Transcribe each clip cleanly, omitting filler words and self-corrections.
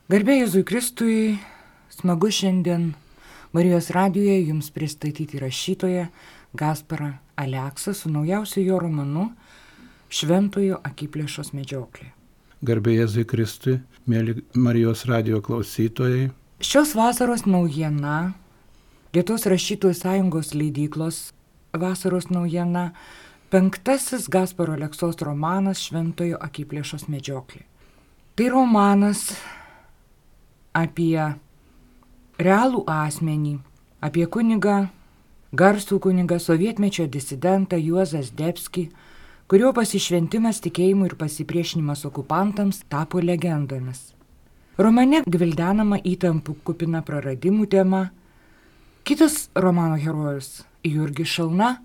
Garbė Jėzui Kristui, smagu šiandien Marijos radijoje jums pristatyti rašytoją Gasparą Aleksą su naujausiu jo romanu Šventojo akiplėšos medžioklė. Garbė Jėzui Kristui, mėly Marijos radijo klausytojai. Šios vasaros naujiena, Lietuvos rašytojų sąjungos leidyklos vasaros naujiena, 5. Gasparo Aleksos romanas Šventojo akiplėšos medžioklė. Tai romanas apie realų asmenį, apie garsų kunigą, sovietmečio disidentą Juozą Zdebskį, kurio pasišventimas tikėjimui ir pasipriešinimas okupantams tapo legendomis. Romane gvildenama įtampų kupina praradimų tema. Kitas romano herojus, Jurgis Šalna,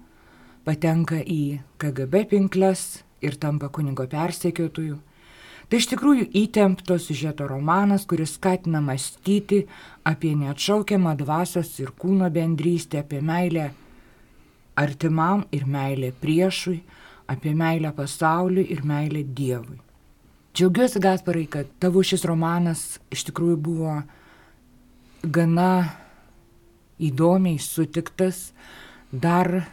patenka į KGB pinkles ir tampa kunigo persekiotoju. Tai iš tikrųjų įtempto siužeto romanas, kuris skatina mąstyti apie neatšaukiamą dvasios ir kūno bendrystę, apie meilę artimam ir meilę priešui, apie meilę pasauliui ir meilę Dievui. Džiaugiuosi, Gasparai, kad tavo šis romanas iš tikrųjų buvo gana įdomiai sutiktas. Dar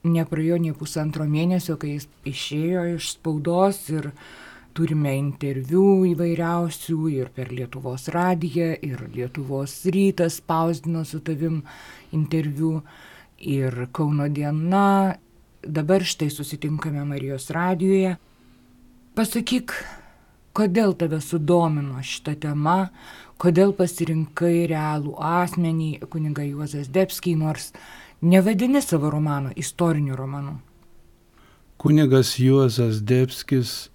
nepraėjo nei pusantro mėnesio, kai jis išėjo iš spaudos ir turime interviu įvairiausių ir per Lietuvos radiją, ir Lietuvos rytas spausdino su tavim interviu, ir Kauno diena. Dabar štai susitinkame Marijos radijoje. Pasakyk, kodėl tave sudomino šitą temą, kodėl pasirinkai realų asmenį, kunigą Juozą Zdebskį, nors nevadini savo romano istoriniu romanu. Kunigas Juozas Zdebskis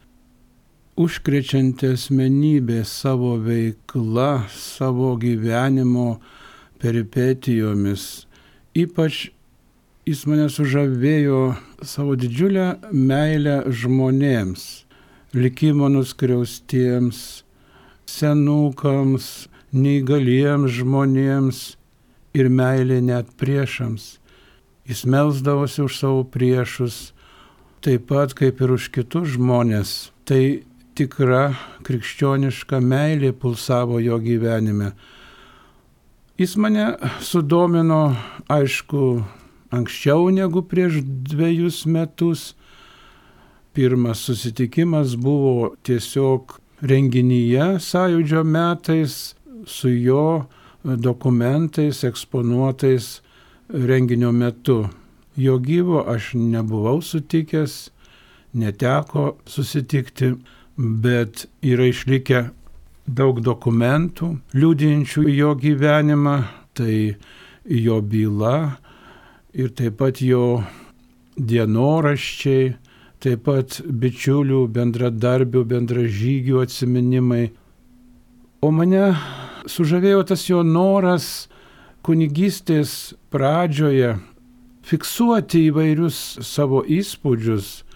užkrečianti asmenybė savo veikla, savo gyvenimo peripetijomis. Ypač jis mane sužavėjo savo didžiulę meilę žmonėms, likimo nuskriaustiems, senukams, neįgaliems žmonėms ir meilė net priešams. Jis melsdavosi už savo priešus, taip pat kaip ir už kitus žmonės. Tai tikra krikščioniška meilė pulsavo jo gyvenime. Jis mane sudomino, aišku, anksčiau negu prieš 2 metus. Pirmas susitikimas buvo tiesiog renginyje Sąjūdžio metais su jo dokumentais eksponuotais renginio metu. Jo gyvo aš nebuvau sutikęs, neteko susitikti, bet yra išlikę daug dokumentų liudijančių jo gyvenimą, tai jo byla ir taip pat jo dienoraščiai, taip pat bičiulių, bendradarbių, bendražygių atsiminimai. O mane sužavėjo tas jo noras kunigystės pradžioje fiksuoti įvairius savo įspūdžius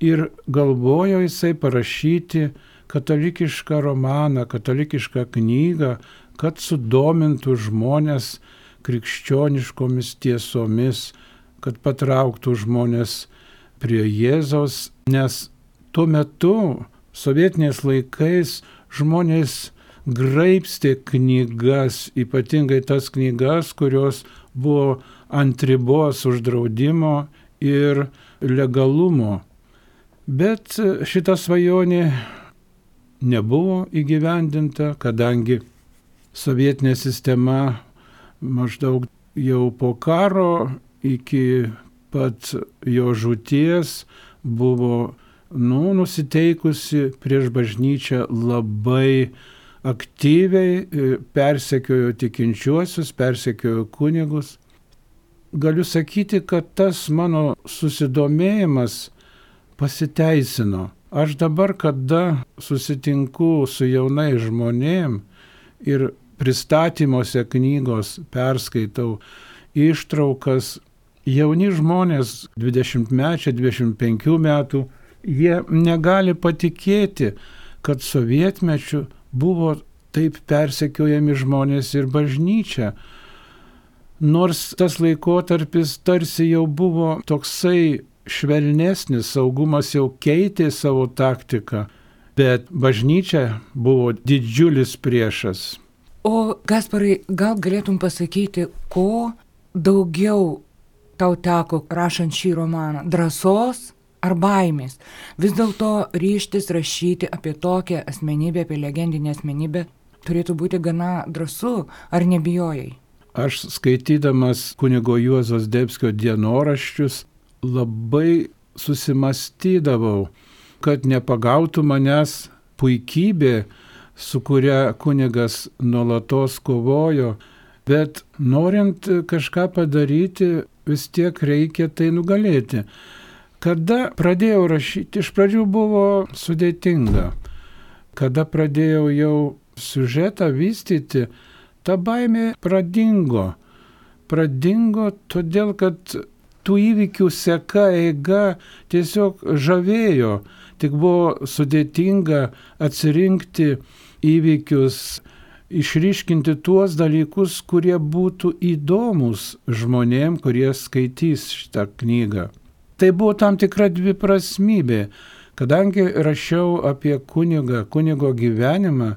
ir galvojo jisai parašyti katalikišką romaną, katalikišką knygą, kad sudomintų žmonės krikščioniškomis tiesomis, kad patrauktų žmonės prie Jėzaus, nes tuo metu, sovietiniais laikais, žmonės graibstė knygas, ypatingai tas knygas, kurios buvo ant ribos uždraudimo ir legalumo. Bet šita svajonė nebuvo įgyvendinta, kadangi sovietinė sistema maždaug jau po karo iki pat jo žūties buvo nusiteikusi prieš bažnyčią labai aktyviai, persekiojo tikinčiuosius, persekiojo kunigus. Galiu sakyti, kad tas mano susidomėjimas pasiteisino. Aš dabar, kada susitinku su jaunai žmonėm ir pristatymuose knygos perskaitau ištraukas, jauni žmonės 20-mečiai, 25 metų, jie negali patikėti, kad sovietmečiu buvo taip persekiojami žmonės ir bažnyčia. Nors tas laikotarpis tarsi jau buvo toksai švelnesnis, saugumas jau keitė savo taktiką bet bažnyčia buvo didžiulis priešas. O Gasparai, gal galėtum pasakyti, ko daugiau tau teko rašant šį romaną? Drąsos ar baimės? Vis dėlto ryžtis rašyti apie tokią asmenybę, apie legendinę asmenybę, turėtų būti gana drąsu, ar nebijojai? Aš skaitydamas kunigo Juozo Zdebskio dienoraščius labai susimastydavau, kad nepagautų manęs puikybė, su kuria kunigas nuolatos kovojo, bet norint kažką padaryti, vis tiek reikia tai nugalėti. Kada pradėjau rašyti, iš pradžių buvo sudėtinga. Kada pradėjau jau siužetą vystyti, ta baimė pradingo. Pradingo todėl, kad tų įvykių seka, eiga tiesiog žavėjo. Tik buvo sudėtinga atsirinkti įvykius, išryškinti tuos dalykus, kurie būtų įdomus žmonėm, kurie skaitys šitą knygą. Tai buvo tam tikra dviprasmybė, kadangi rašiau apie kunigo gyvenimą,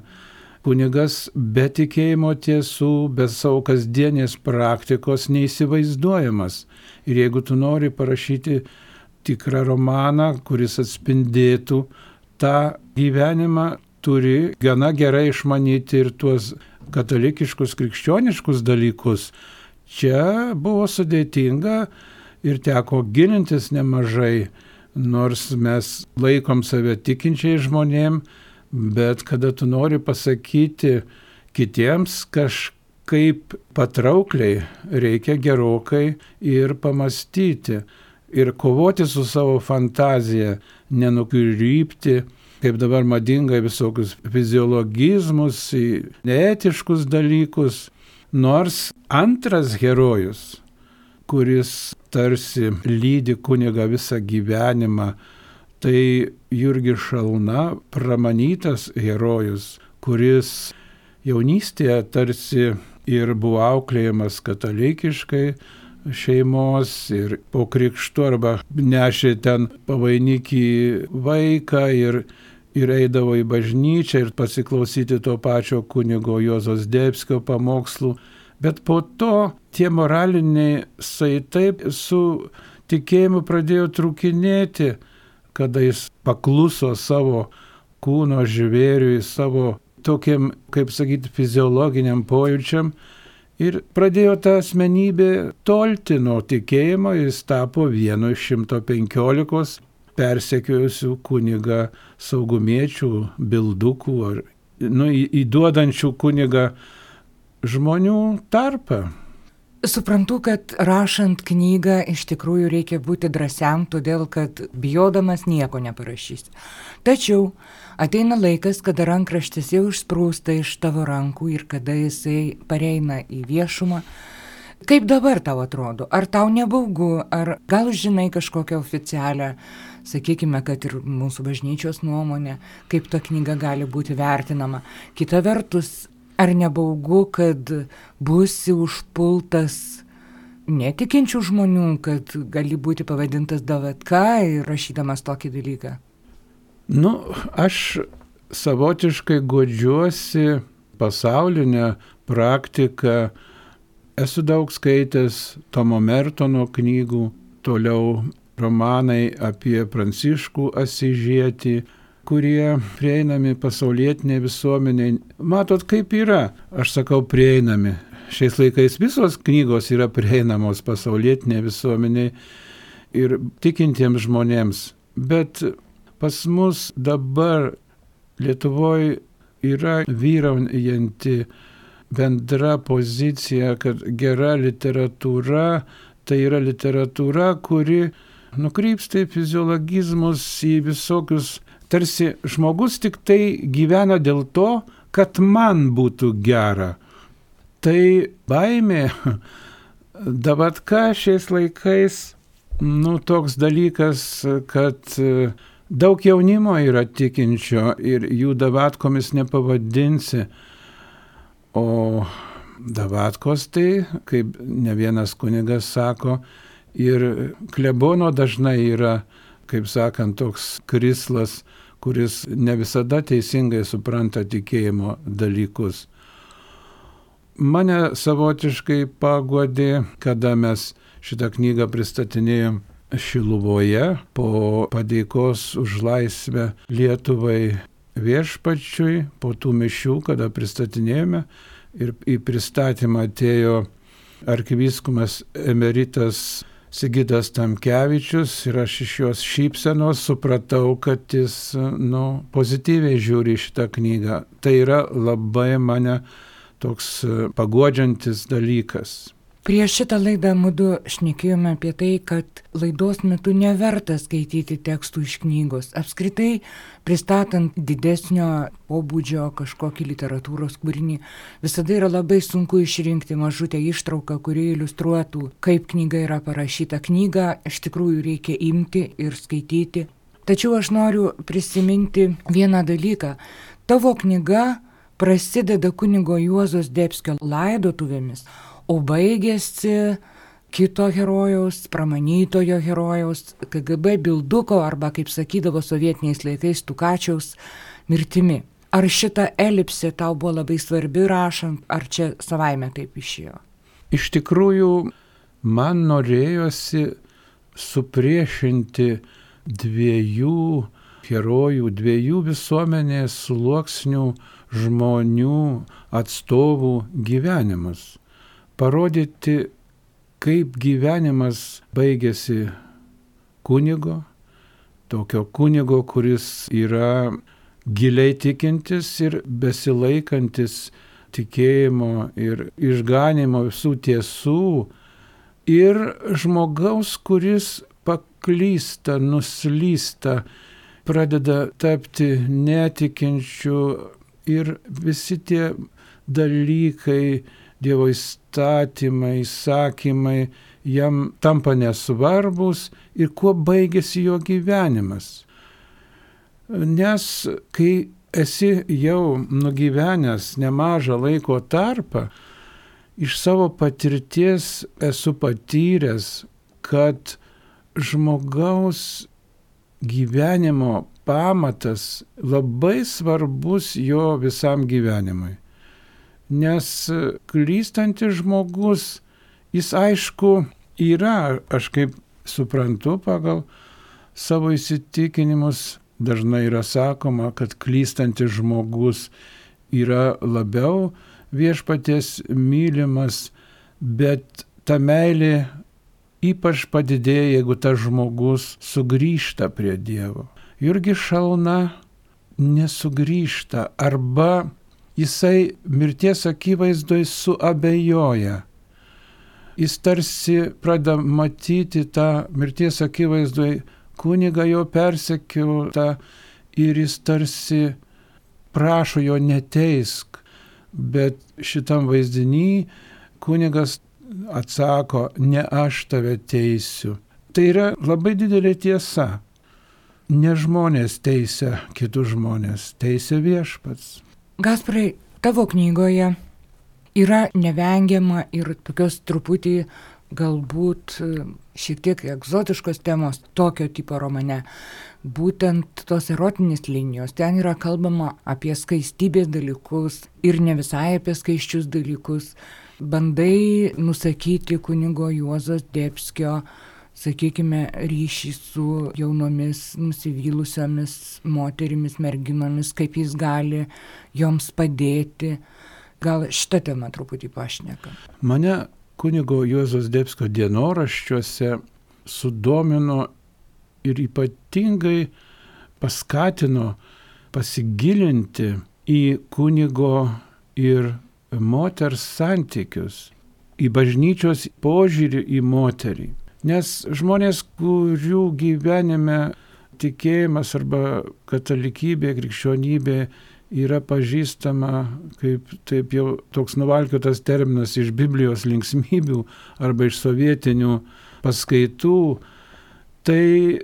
kunigas be tikėjimo tiesų, be savo kasdienės praktikos neįsivaizduojamas. Ir jeigu tu nori parašyti tikrą romaną, kuris atspindėtų tą gyvenimą, turi gana gerai išmanyti ir tuos katalikiškus, krikščioniškus dalykus. Čia buvo sudėtinga ir teko gilintis nemažai, nors mes laikom save tikinčiai žmonėm, bet kada tu nori pasakyti kitiems kažkaip patraukliai, reikia gerokai ir pamastyti. Ir kovoti su savo fantazija, nenukrypti, kaip dabar madinga, visokius fiziologizmus, neetiškus dalykus. Nors antras herojus, kuris tarsi lydi kunigą visą gyvenimą, tai Jurgis Šalna, pramanytas herojus, kuris jaunystėje tarsi ir buvo auklėjamas katalikiškai šeimos ir po krikštu arba nešė ten pavainikį vaiką ir eidavo į bažnyčią ir pasiklausyti to pačio kunigo Juozo Zdebskio pamokslų. Bet po to tie moraliniai saitai su tikėjimu pradėjo trūkinėti, kada jis pakluso savo kūno žvėriui, savo tokiam, kaip sakyti, fiziologiniam pojūčiam ir pradėjo ta asmenybė tolti nuo tikėjimo, jis tapo vienu iš 115 persekiojusių kunigą saugumiečių, bildukų ar įduodančių kunigą žmonių tarpą. Suprantu, kad rašant knygą iš tikrųjų reikia būti drąsiam, todėl kad bijodamas nieko neparašysi. Tačiau ateina laikas, kada rankraštis jau išsprūsta iš tavo rankų ir kada jisai pareina į viešumą. Kaip dabar tau atrodo? Ar tau nebaugu? Ar gal žinai kažkokią oficialią, sakykime, kad ir mūsų bažnyčios nuomonę, kaip ta knyga gali būti vertinama? Kita vertus, ar nebaugu, kad būsi užpultas netikinčių žmonių, kad gali būti pavadintas davatka ir rašydamas tokį dalyką? Aš savotiškai godžiuosi pasaulinę praktiką. Esu daug skaitęs Tomo Mertono knygų, toliau romanai apie Pranciškų Asyžietį, kurie prieinami pasaulietiniai visuomeniai. Matot, kaip yra, aš sakau prieinami. Šiais laikais visos knygos yra prieinamos pasaulietiniai visuomeniai ir tikintiems žmonėms. Bet pas mus dabar Lietuvoje yra vyraujanti bendra pozicija, kad gera literatūra tai yra literatūra, kuri nukrypsta į fiziologizmus, į visokius. Tarsi žmogus tik tai gyvena dėl to, kad man būtų gera. Tai baimė, davatka šiais laikais, toks dalykas, kad daug jaunimo yra tikinčio ir jų davatkomis nepavadinsi. O davatkos tai, kaip ne vienas kunigas sako, ir klebono dažnai yra, kaip sakant, toks krislas, kuris ne visada teisingai supranta tikėjimo dalykus. Mane savotiškai paguodė, kada mes šitą knygą pristatinėjom Šiluvoje po padėkos už laisvę Lietuvai viešpačiui, po tų mišių, kada pristatinėjome ir į pristatymą atėjo arkivyskupas emeritas Sigitas Tamkevičius ir aš iš jos šypsenos supratau, kad jis pozityviai žiūri šitą knygą. Tai yra labai mane toks paguodžiantis dalykas. Prieš šitą laidą mudu šnekėjome apie tai, kad laidos metu neverta skaityti tekstų iš knygos. Apskritai, pristatant didesnio pobūdžio kažkokį literatūros kūrinį, visada yra labai sunku išrinkti mažutę ištrauką, kuri iliustruotų, kaip knyga yra parašyta. Knygą iš tikrųjų reikia imti ir skaityti. Tačiau aš noriu prisiminti vieną dalyką. Tavo knyga prasideda kunigo Juozo Zdebskio laidotuvėmis, o baigėsi kito herojaus, pramanytojo herojaus, KGB bilduko arba, kaip sakydavo sovietiniais laikais, Tukačiaus mirtimi. Ar šita elipsė tau buvo labai svarbi rašant, ar čia savaime taip išėjo? Iš tikrųjų, man norėjosi supriešinti dviejų herojų, dviejų visuomenės sluoksnių žmonių atstovų gyvenimus. Parodyti, kaip gyvenimas baigėsi kunigo, tokio kunigo, kuris yra giliai tikintis ir besilaikantis tikėjimo ir išganimo visų tiesų, ir žmogaus, kuris paklysta, nuslysta, pradeda tapti netikinčiu ir visi tie dalykai, Dievo įstatymai, įsakymai jam tampa nesvarbus ir kuo baigėsi jo gyvenimas. Nes kai esi jau nugyvenęs nemažą laiko tarpą, iš savo patirties esu patyręs, kad žmogaus gyvenimo pamatas labai svarbus jo visam gyvenimui. Nes klystantis žmogus, jis aišku yra, aš kaip suprantu pagal savo įsitikinimus, dažnai yra sakoma, kad klystantis žmogus yra labiau viešpaties mylimas, bet ta meilė ypač padidėja, jeigu tas žmogus sugrįžta prie Dievo. Jurgis Šalna nesugrįžta arba jisai mirties akivaizdoj suabejoja. Jis tarsi pradeda matyti tą mirties akivaizdoj kunigą jo persekiotą ir jis tarsi prašo jo neteisk, bet šitam vaizdiny kunigas atsako, ne aš tave teisiu. Tai yra labai didelė tiesa. Ne žmonės teisia kitus žmonės, teisia viešpats. Gasparai, tavo knygoje yra nevengiama ir tokios truputį galbūt šiek tiek egzotiškos temos tokio tipo romane. Būtent tos erotinės linijos. Ten yra kalbama apie skaistybės dalykus ir ne visai apie skaisčius dalykus. Bandai nusakyti kunigo Juozo Zdebskio, sakykime, ryšį su jaunomis, nusivylusiomis moterimis, merginomis, kaip jis gali joms padėti. Gal šitą temą truputį pašneka? Mane kunigo Juozo Zdebskio dienoraščiuose sudomino ir ypatingai paskatino pasigilinti į kunigo ir moters santykius, į bažnyčios požiūrį į moterį. Nes žmonės, kurių gyvenime tikėjimas arba katalikybė, krikščionybė yra pažįstama kaip taip jau toks nuvalkiotas terminas iš Biblijos linksmybių arba iš sovietinių paskaitų, tai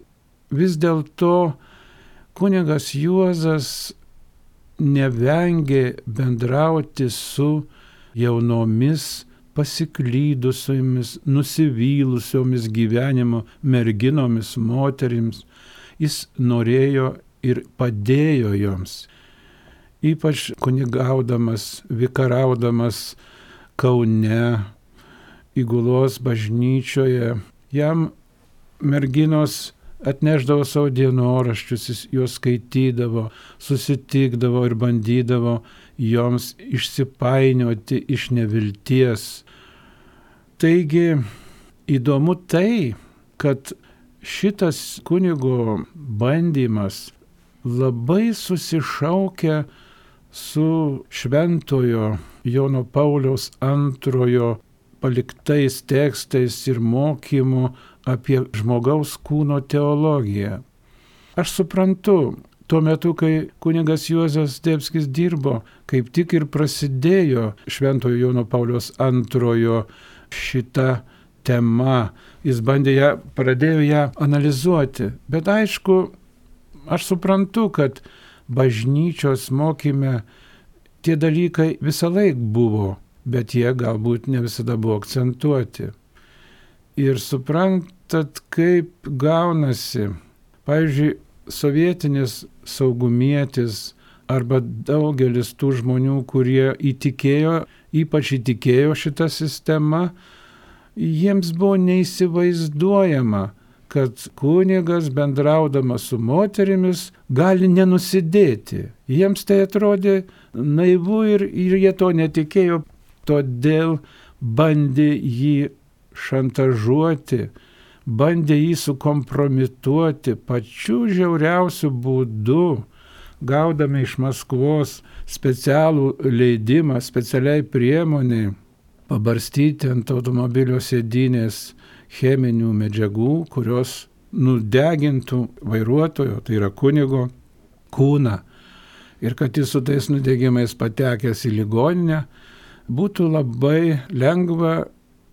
vis dėlto kunigas Juozas nevengė bendrauti su jaunomis pasiklydusiomis, nusivylusiomis gyvenimo merginomis, moterims. Jis norėjo ir padėjo joms. Ypač kunigaudamas, vikaraudamas Kaune, Įgulos bažnyčioje, jam merginos atneždavo savo dienoraščius, jis juos skaitydavo, susitikdavo ir bandydavo joms išsipainioti iš nevilties. Taigi įdomu tai, kad šitas kunigo bandymas labai susišaukia su šventojo Jono Pauliaus II paliktais tekstais ir mokymu apie žmogaus kūno teologiją. Aš suprantu, tuo metu, kai kunigas Juozas Zdebskis dirbo, kaip tik ir prasidėjo šventojo Jono Pauliaus II šita tema. Jis pradėjo ją analizuoti. Bet aišku, aš suprantu, kad bažnyčios mokyme tie dalykai visą laik buvo, bet jie galbūt ne visada buvo akcentuoti. Ir suprantat, kaip gaunasi, pavyzdžiui, sovietinis saugumietis arba daugelis tų žmonių, kurie ypač įtikėjo šitą sistemą, jiems buvo neįsivaizduojama, kad kunigas bendraudamas su moterimis gali nenusidėti. Jiems tai atrodė naivu ir jie to netikėjo, todėl bandė jį šantažuoti, bandė jį sukompromituoti pačiu žiauriausiu būdu, gaudami iš Maskvos specialų leidimą, specialiai priemoniai pabarstyti ant automobilio sėdynės cheminių medžiagų, kurios nudegintų vairuotojo, tai yra kunigo, kūną. Ir kad jis su tais nudegimais patekęs į ligoninę, būtų labai lengva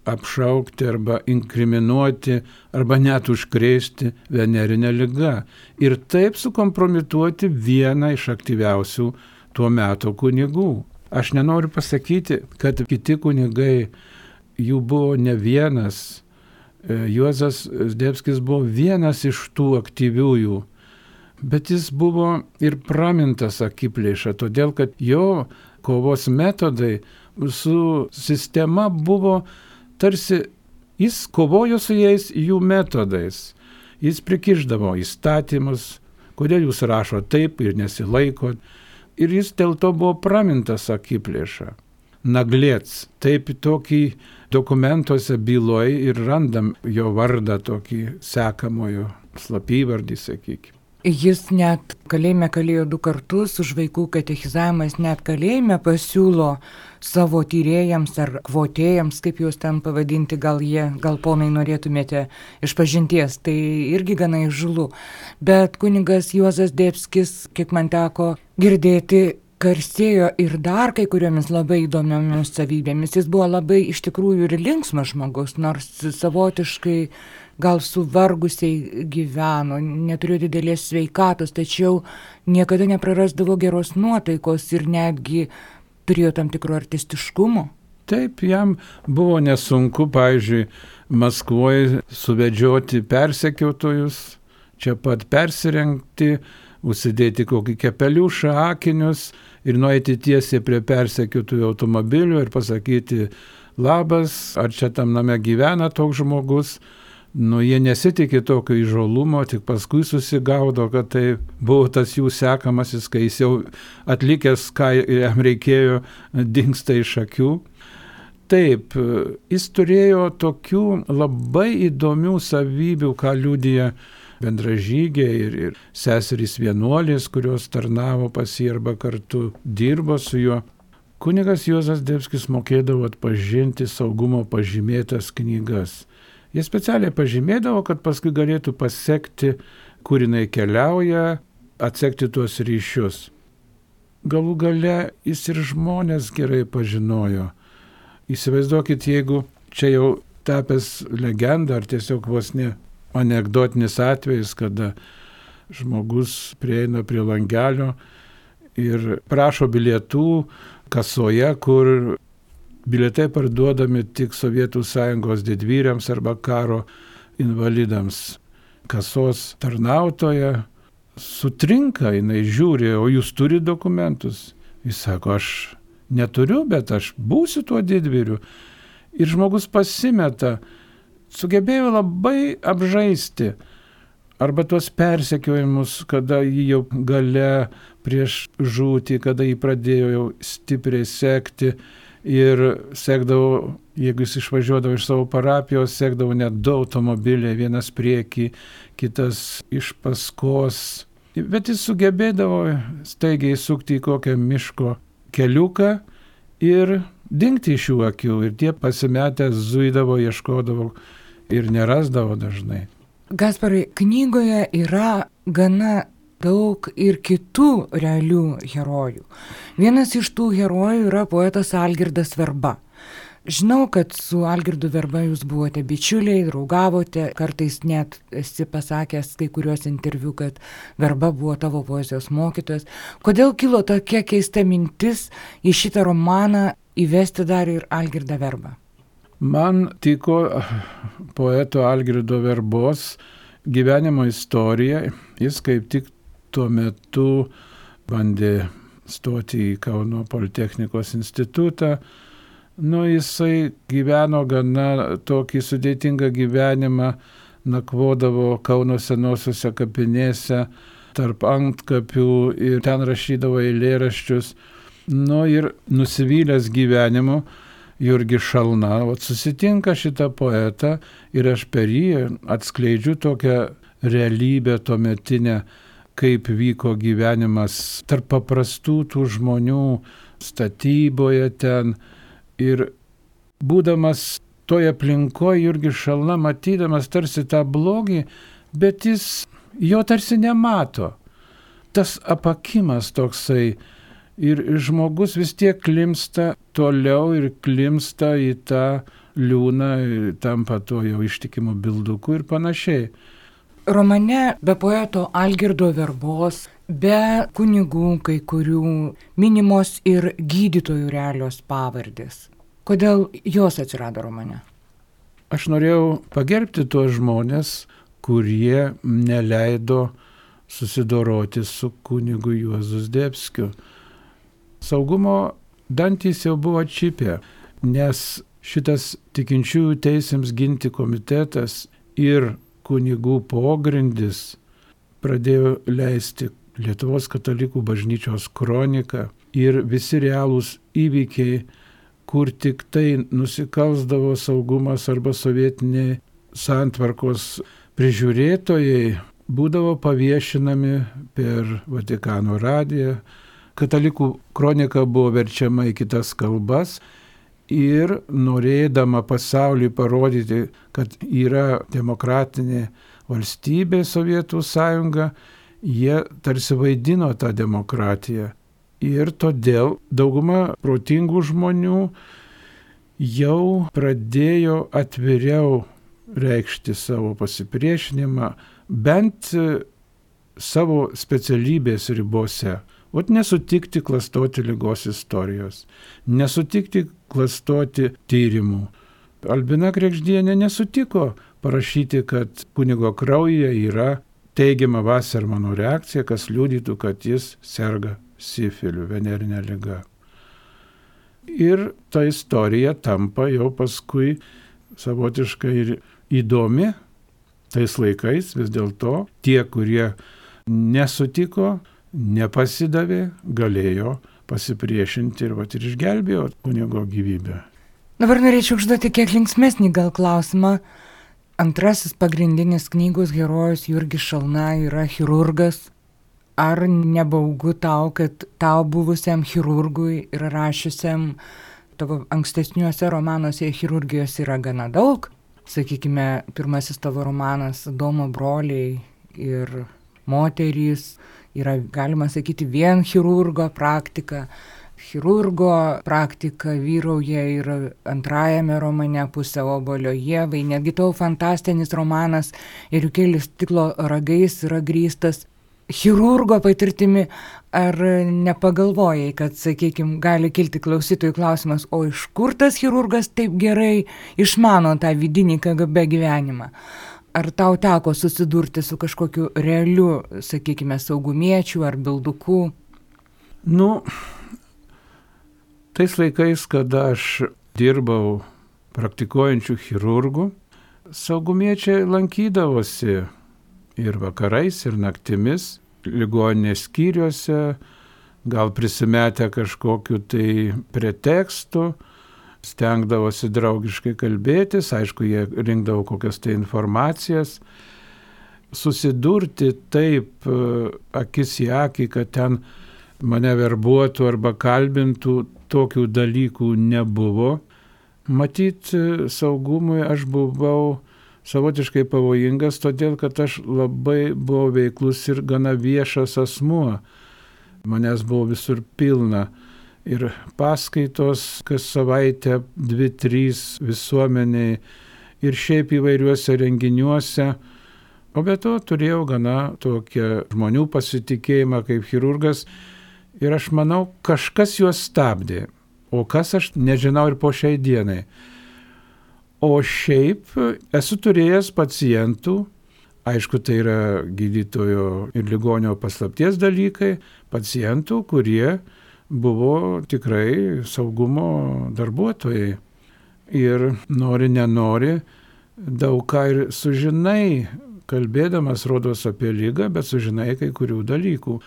apšaukti arba inkriminuoti arba net užkrėsti venerinę ligą ir taip sukompromituoti vieną iš aktyviausių tuo metu kunigų. Aš nenoriu pasakyti, kad kiti kunigai, jų buvo ne vienas. Juozas Zdebskis buvo vienas iš tų aktyviųjų, bet jis buvo ir pramintas akiplėša, todėl kad jo kovos metodai su sistema buvo tarsi, jis kovojo su jais jų metodais. Jis prikišdavo įstatymus, kodėl jūs rašo taip ir nesilaiko. Ir jis dėl to buvo pramintas akiplėša. Naglėts, taip tokį dokumentuose byloj ir randam jo vardą tokį sekamojo slapyvardį, sakykime. Jis net kalėjime kalėjo 2 kartus, už vaikų katechizavimas net kalėjime pasiūlo savo tyrėjams ar kvotėjams, kaip juos ten pavadinti, gal ponai norėtumėte išpažinties, tai irgi gana įžulu. Bet kunigas Juozas Zdebskis, kiek man teko girdėti, garsėjo ir dar kai kuriomis labai įdomiomis savybėmis. Jis buvo labai iš tikrųjų ir linksmas žmogus, nors savotiškai gal suvargusiai gyveno, neturėjo didelės sveikatos, tačiau niekada neprarasdavo geros nuotaikos ir netgi turėjo tam tikro artistiškumo. Taip, jam buvo nesunku, pavyzdžiui, Maskvoje suvedžioti persekiotojus, čia pat persirengti, užsidėti kokį kepeliušą, akinius ir nueiti tiesiai prie persekiotojų automobilių ir pasakyti, labas, ar čia tam name gyvena toks žmogus. Jie nesitikė tokio įžolumo, tik paskui susigaudo, kad tai buvo tas jų sekamasis, kai jis jau atlikęs, ką jam reikėjo, dingsta iš akių. Taip, jis turėjo tokių labai įdomių savybių, ką liudija bendražygiai ir seserys vienuolės, kurios tarnavo pas jį arba kartu dirbo su juo. Kunigas Juozas Zdebskis mokėdavo atpažinti saugumo pažymėtas knygas. Jie specialiai pažymėdavo, kad paskui galėtų pasekti, kur jinai keliauja, atsekti tuos ryšius. Galų gale jis ir žmonės gerai pažinojo. Įsivaizduokit, jeigu čia jau tapęs legenda ar tiesiog vos ne anekdotinis atvejis, kada žmogus prieina prie langelio ir prašo bilietų kasoje, kur bilietai parduodami tik Sovietų Sąjungos didvyriams arba karo invalidams. Kasos tarnautoja sutrinka, jinai žiūri, o jūs turi dokumentus. Jis sako, aš neturiu, bet aš būsiu tuo didvyriu. Ir žmogus pasimeta, sugebėjo labai apžaisti arba tuos persekiojimus, kada jį jau gale prieš žūtį, kada jį pradėjo jau stipriai sekti ir sekdavo, jeigu jis išvažiuodavo iš savo parapijos, sekdavo net 2 automobiliai, vienas priekį, kitas iš paskos. Bet jis sugebėdavo staigiai sukti į kokią miško keliuką ir dingti iš jų akių. Ir tie pasimetę zuidavo, ieškodavo ir nerasdavo dažnai. Gasparai, knygoje yra gana daug ir kitų realių herojų. Vienas iš tų herojų yra poetas Algirdas Verba. Žinau, kad su Algirdu Verba jūs buvote bičiuliai, draugavote, kartais net esi pasakęs kai kuriuos interviu, kad Verba buvo tavo poezijos mokytojas. Kodėl kilo tokia keista mintis į šitą romaną įvesti dar ir Algirdą Verbą? Man tiko poeto Algirdo Verbos gyvenimo istorija. Jis kaip tik tuo metu bandė stoti į Kauno Politechnikos institutą. Jisai gyveno gana tokį sudėtingą gyvenimą, nakvodavo Kauno senosiuose kapinėse, tarp antkapių ir ten rašydavo eilėraščius. Ir nusivylęs gyvenimu, Jurgis Šalna, susitinka šitą poetą ir aš per jį atskleidžiu tokią realybę tuometinę, kaip vyko gyvenimas tarp paprastų tų žmonių statyboje ten. Ir būdamas toje aplinkoje, Jurgis Šalna, matydamas tarsi tą blogį, bet jis jo tarsi nemato. Tas apakimas toksai. Ir žmogus vis tiek klimsta toliau ir klimsta į tą liūną, tampa to jau ištikimu bilduku ir panašiai. Romane be poeto Algirdo Verbos, be kunigų kai kurių minimos ir gydytojų realios pavardės. Kodėl jos atsirado romane? Aš norėjau pagerbti tuos žmonės, kurie neleido susidoroti su kunigu Juozu Zdebskiu. Saugumo dantys jau buvo atšipę, nes šitas tikinčiųjų teisėms ginti komitetas ir kunigų pogrindis pradėjo leisti Lietuvos katalikų bažnyčios kroniką ir visi realūs įvykiai, kur tik tai nusikalsdavo saugumas arba sovietiniai santvarkos prižiūrėtojai, būdavo paviešinami per Vatikano radiją. Katalikų kronika buvo verčiama į kitas kalbas ir norėdama pasauliui parodyti, kad yra demokratinė valstybė Sovietų sąjunga, jie tarsi vaidino tą demokratiją. Ir todėl dauguma protingų žmonių jau pradėjo atviriau reikšti savo pasipriešinimą, bent savo specialybės ribose. Nesutikti klastoti ligos istorijos, nesutikti klastoti tyrimų. Albina Kregždienė nesutiko parašyti, kad kunigo kraujyje yra teigiama Vasermano reakcija, kas liudytų, kad jis serga sifiliu, venerinė liga. Ir ta istorija tampa jau paskui savotiškai ir įdomi tais laikais, vis dėlto tie, kurie nesutiko, nepasidavė, galėjo pasipriešinti ir išgelbėjo kunigo gyvybę. Dabar norėčiau užduoti kiek linksmesnį gal klausimą. Antrasis pagrindinis knygos herojus Jurgis Šalna yra chirurgas. Ar nebaugu tau, kad tau buvusiam chirurgui ir rašiusiam tavo ankstesniuose romanuose chirurgijos yra gana daug? Sakykime, pirmasis tavo romanas Domo broliai ir moterys yra, galima sakyti, vien chirurgo praktika. Chirurgo praktika vyrauja ir antrajame romane Pusė obuolio ievai. Netgi tavo fantastinis romanas Ėriukėlis stiklo ragais yra grįstas chirurgo patirtimi. Ar nepagalvojai, kad, sakykime, gali kilti klausytojų klausimas, o iš kur tas chirurgas taip gerai išmano tą vidinį KGB gyvenimą? Ar tau teko susidurti su kažkokiu realiu, sakykime, saugumiečiu ar bilduku? Tais laikais, kada aš dirbau praktikuojančių chirurgų, saugumiečiai lankydavosi ir vakarais, ir naktimis, ligoninės skyriuose, gal prisimetę kažkokiu tai pretekstu, stengdavosi draugiškai kalbėtis, aišku, jie rinkdavo kokias tai informacijas. Susidurti taip akis į akį, kad ten mane verbuotų arba kalbintų, tokių dalykų nebuvo. Matyt, saugumui aš buvau savotiškai pavojingas, todėl kad aš labai buvau veiklus ir gana viešas asmuo. Manęs buvo visur pilna. Ir paskaitos kas savaitę 2-3 visuomeniai ir šiaip įvairiuose renginiuose. O be to turėjau gana tokią žmonių pasitikėjimą kaip chirurgas ir aš manau, kažkas juos stabdė. O kas aš nežinau ir po šiai dienai. O šiaip esu turėjęs pacientų, aišku, tai yra gydytojo ir ligonio paslapties dalykai, pacientų, kurie buvo tikrai saugumo darbuotojai. Ir nori, nenori, daug ką ir sužinai, kalbėdamas rodos apie ligą, bet sužinai kai kurių dalykų.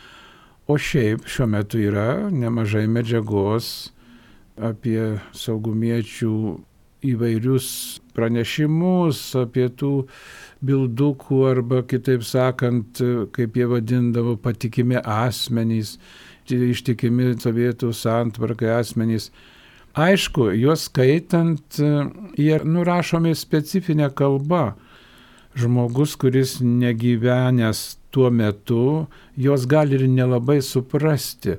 O šiaip šiuo metu yra nemažai medžiagos apie saugumiečių įvairius pranešimus, apie tų bildukų arba kitaip sakant, kaip jie vadindavo, patikimi asmenys, ištikimi Sovietų santvarkai asmenys. Aišku, juos skaitant, jie nurašomi specifinė kalba. Žmogus, kuris negyvenęs tuo metu, jos gali ir nelabai suprasti.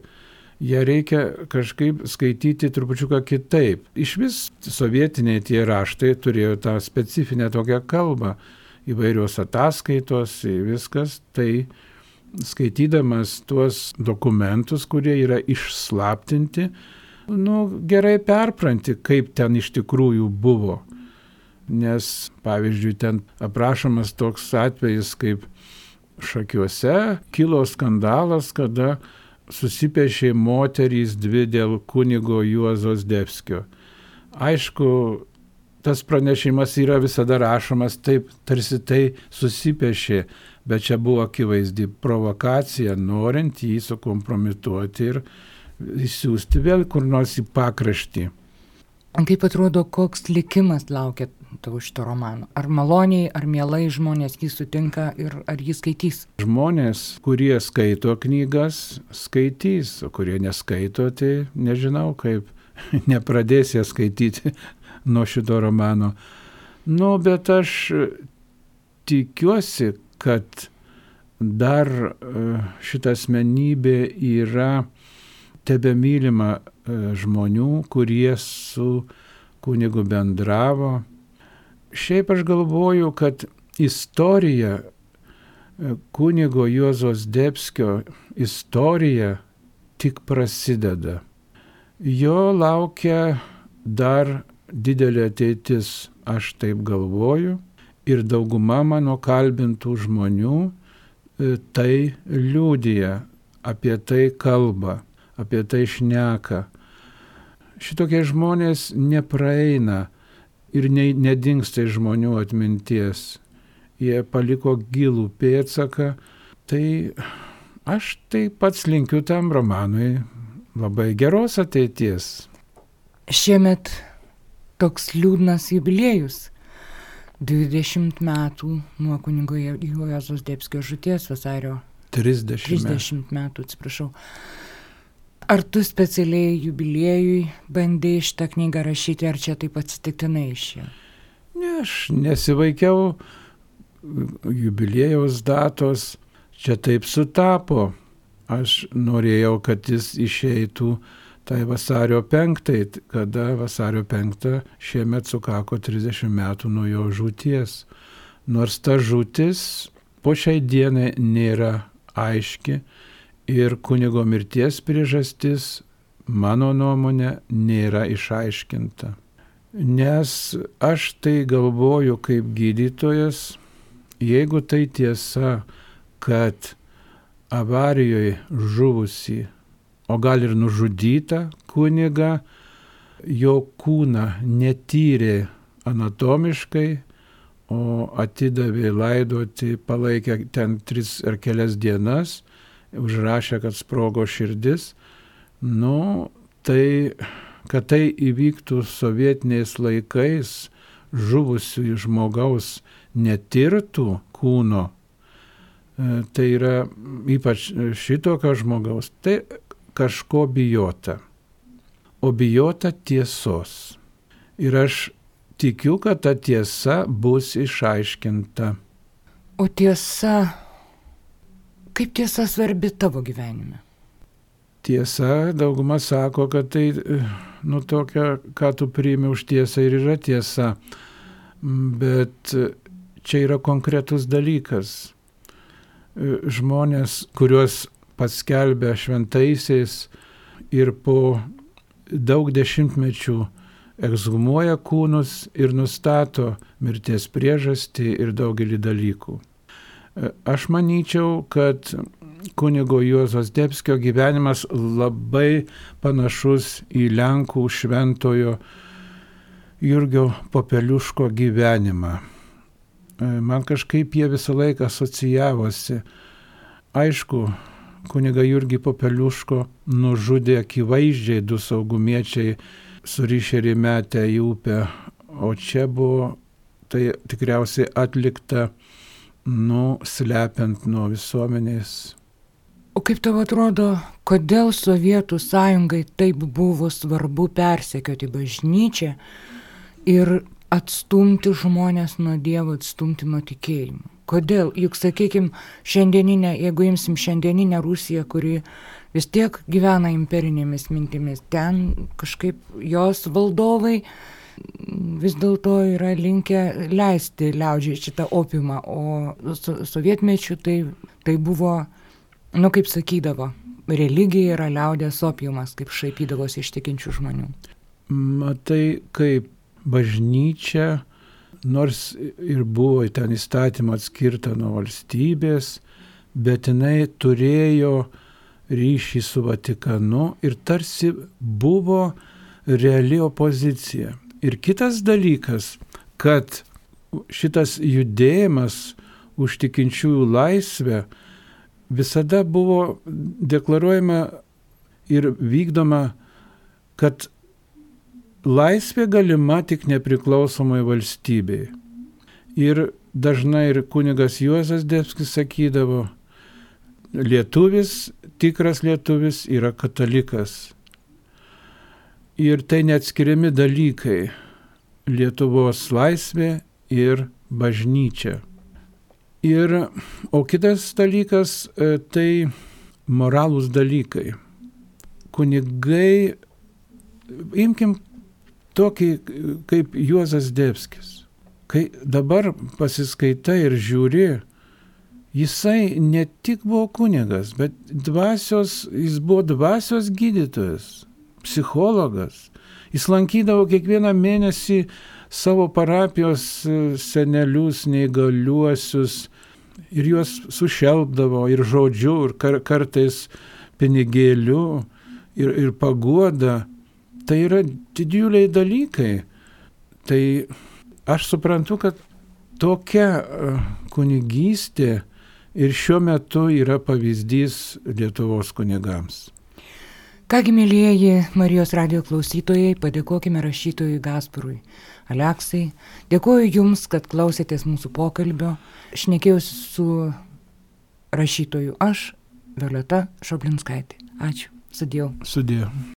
Jie reikia kažkaip skaityti trupučiuką kitaip. Iš vis sovietiniai tie raštai turėjo tą specifinę tokią kalbą. Įvairios ataskaitos, viskas. Tai skaitydamas tuos dokumentus, kurie yra išslaptinti, gerai perpranti, kaip ten iš tikrųjų buvo. Nes, pavyzdžiui, ten aprašomas toks atvejis, kaip Šakiuose kilo skandalas, kada susipešė moterys 2 dėl kunigo Juozo Zdebskio. Aišku, tas pranešimas yra visada rašomas taip, tarsi tai susipešė, bet čia buvo akivaizdi provokacija, norint jį sukompromituoti ir įsiųsti vėl kur nors į pakraštį. Kaip atrodo, koks likimas laukia tau šito romano? Ar maloniai, ar mielai žmonės jį sutinka ir ar jį skaitys? Žmonės, kurie skaito knygas, skaitys, o kurie neskaito, tai nežinau kaip, nepradės jie skaityti nuo šito romano. Bet aš tikiuosi, kad dar šita asmenybė yra tebemylima žmonių, kurie su kunigu bendravo. Šiaip aš galvoju, kad istorija, kunigo Juozo Zdebskio istorija tik prasideda. Jo laukia dar didelė ateitis, aš taip galvoju, ir dauguma mano kalbintų žmonių tai liudija, apie tai kalba, apie tai šneka. Šitokie žmonės nepraeina ir nedingsta iš žmonių atminties. Jie paliko gilų pėdsaką, tai aš tai pats linkiu tam romanui labai geros ateities. Šiemet toks liūdnas jubiliejus. 20 metų nuo kunigo Juozo Zdebskio žūties, vasario 30 metų, atsiprašau. Ar tu specialiai jubiliejui bandėjai šitą knygą rašyti, ar čia taip atsitiktinai išėjo? Ne, aš nesivaikiau jubiliejaus datos, čia taip sutapo. Aš norėjau, kad jis išeitų tai vasario 5, kada vasario 5 šiemet sukako 30 metų nuo jo žūties. Nors ta žūtis po šiai dienai nėra aiški ir kunigo mirties priežastis, mano nuomonė, nėra išaiškinta. Nes aš tai galvoju kaip gydytojas, jeigu tai tiesa, kad avarijoje žuvusi, o gal ir nužudyta kunigą, jo kūną netyrė anatomiškai, o atidavė laidoti, palaikė ten 3 ar kelias dienas, užrašė, kad sprogo širdis. Tai, kad tai įvyktų sovietiniais laikais, žuvusių žmogaus netirtų kūno, tai yra ypač šitokio žmogaus, tai kažko bijota. O bijota tiesos. Ir aš tikiu, kad ta tiesa bus išaiškinta. O tiesa, kaip tiesa svarbi tavo gyvenime? Tiesa, dauguma sako, kad tai, tokia, ką tu priimi už tiesą ir yra tiesa. Bet čia yra konkretus dalykas. Žmonės, kuriuos paskelbė šventaisiais ir po daug dešimtmečių ekshumuoja kūnus ir nustato mirties priežastį ir daugelį dalykų. Aš manyčiau, kad kunigo Juozo Zdebskio gyvenimas labai panašus į Lenkų šventojo Jurgio Popeliuško gyvenimą. Man kažkaip jie visą laiką asocijavosi. Aišku, kunigą Jurgį Popeliuško nužudė akivaizdžiai 2 saugumiečiai surišę ir įmetę į upę, o čia buvo tai tikriausiai atlikta, slepiant nuo visuomenės. O kaip tau atrodo, kodėl Sovietų sąjungai taip buvo svarbu persekioti bažnyčią ir atstumti žmonės nuo Dievo, atstumti nuo tikėjimo? Kodėl? Juk, sakykime, jeigu imsim šiandieninę Rusiją, kuri vis tiek gyvena imperinėmis mintimis, ten kažkaip jos valdovai vis dėlto yra linkę leisti liaudžiai šitą opiumą, o sovietmečiu tai buvo, kaip sakydavo, religija yra liaudės opiumas, kaip šaipydavosi iš tikinčių žmonių. Matai, kaip bažnyčia, nors ir buvo ten įstatymą atskirta nuo valstybės, bet jinai turėjo ryšį su Vatikanu ir tarsi buvo reali opozicija. Ir kitas dalykas, kad šitas judėjimas už tikinčiųjų laisvę visada buvo deklaruojama ir vykdoma, kad laisvė galima tik nepriklausomai valstybei. Ir dažnai ir kunigas Juozas Zdebskis sakydavo, lietuvis, tikras lietuvis yra katalikas. Ir tai neatskiriami dalykai - Lietuvos laisvė ir bažnyčia. O kitas dalykas tai moralūs dalykai. Kunigai, imkim tokį kaip Juozas Zdebskis. Kai dabar pasiskaitai ir žiūri, jisai ne tik buvo kunigas, bet jis buvo dvasios gydytojas, psichologas. Jis lankydavo kiekvieną mėnesį savo parapijos senelius, neįgaliuosius ir juos sušelpdavo ir žodžiu, ir kartais pinigėliu, ir paguoda. Tai yra didžiuliai dalykai. Tai aš suprantu, kad tokia kunigystė ir šiuo metu yra pavyzdys Lietuvos kunigams. Kągi, mėlyjeji Marijos radijo klausytojai, padėkokime rašytojui Gasparui Aleksai. Dėkoju Jums, kad klausėtės mūsų pokalbio. Šnekėjausi su rašytoju aš, Violeta Šoblinskaitė. Ačiū. Sudėjau.